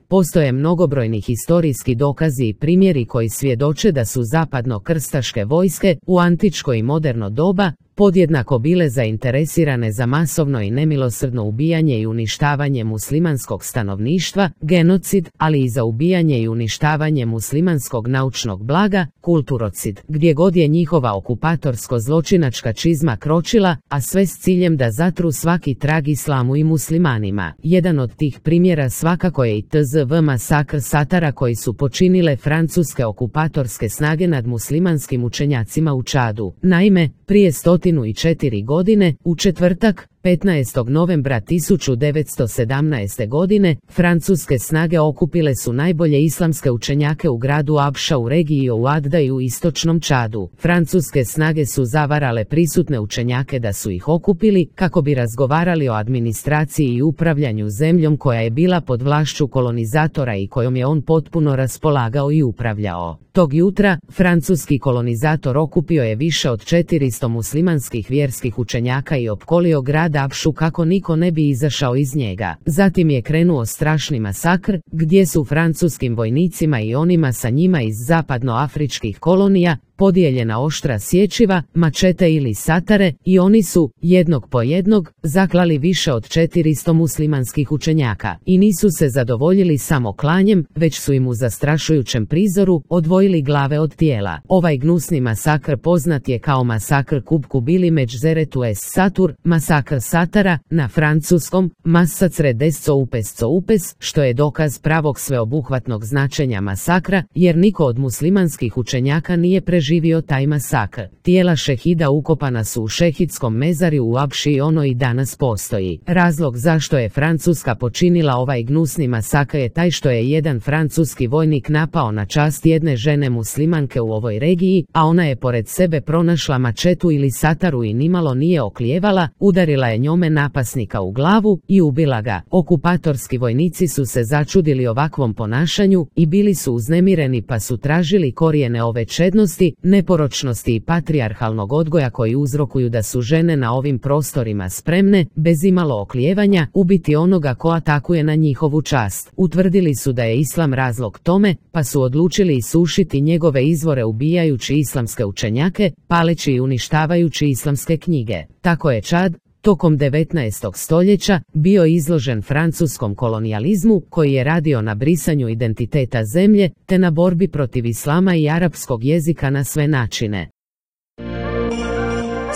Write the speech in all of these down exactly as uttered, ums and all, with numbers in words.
postoje mnogobrojni historijski dokazi i primjeri koji svjedoče da su zapadno-krstaške vojske u antičko i moderno doba podjednako bile zainteresirane za masovno i nemilosrdno ubijanje i uništavanje muslimanskog stanovništva, genocid, ali i za ubijanje i uništavanje muslimanskog naučnog blaga, kulturocid, gdje god je njihova okupatorsko-zločinačka čizma kročila, a sve s ciljem da zatru svaki trag islamu i muslimanima. Jedan od tih primjera svakako je i T Z V masakr Satara koji su počinile francuske okupatorske snage nad muslimanskim učenjacima u Čadu. Naime, prije stotinu i četiri godine, u četvrtak, petnaestog novembra tisuću devetsto sedamnaeste. godine, francuske snage okupile su najbolje islamske učenjake u gradu Abša u regiji Ouadda i u istočnom Čadu. Francuske snage su zavarale prisutne učenjake da su ih okupili kako bi razgovarali o administraciji i upravljanju zemljom koja je bila pod vlašću kolonizatora i kojom je on potpuno raspolagao i upravljao. Tog jutra, francuski kolonizator okupio je više od četiristo muslimanskih vjerskih učenjaka i opkolio grad Abšu kako niko ne bi izašao iz njega. Zatim je krenuo strašni masakr, gdje su francuskim vojnicima i onima sa njima iz zapadnoafričkih kolonija podijeljena oštra sječiva, mačete ili satare, i oni su, jednog po jednog, zaklali više od četiristo muslimanskih učenjaka. I nisu se zadovoljili samo klanjem, već su im u zastrašujućem prizoru odvojili glave od tijela. Ovaj gnusni masakr poznat je kao masakr Kubkubili Međzeretu es Satur, masakr Satara, na francuskom, Massacre des Soupes Soupes, što je dokaz pravog sveobuhvatnog značenja masakra, jer niko od muslimanskih učenjaka nije preživio živio taj masakr. Tijela šehida ukopana su u šehidskom mezarju u Abši i ono i danas postoji. Razlog zašto je Francuska počinila ovaj gnusni masakr je taj što je jedan francuski vojnik napao na čast jedne žene muslimanke u ovoj regiji, a ona je pored sebe pronašla mačetu ili sataru i nimalo nije oklijevala, udarila je njome napasnika u glavu i ubila ga. Okupatorski vojnici su se začudili ovakvom ponašanju i bili su uznemireni pa su tražili korijene ove čednosti, neporočnosti i patrijarhalnog odgoja koji uzrokuju da su žene na ovim prostorima spremne, bez imalo oklijevanja, ubiti onoga ko atakuje na njihovu čast. Utvrdili su da je islam razlog tome, pa su odlučili isušiti njegove izvore ubijajući islamske učenjake, paleći i uništavajući islamske knjige. Tako je Čad, tokom devetnaestog stoljeća, bio izložen francuskom kolonijalizmu koji je radio na brisanju identiteta zemlje te na borbi protiv islama i arapskog jezika na sve načine.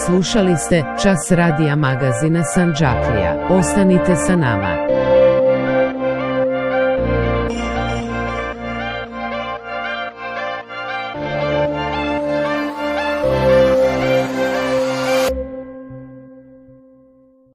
Slušali ste Čas radija magazina Sandžaklija. Ostanite sa nama.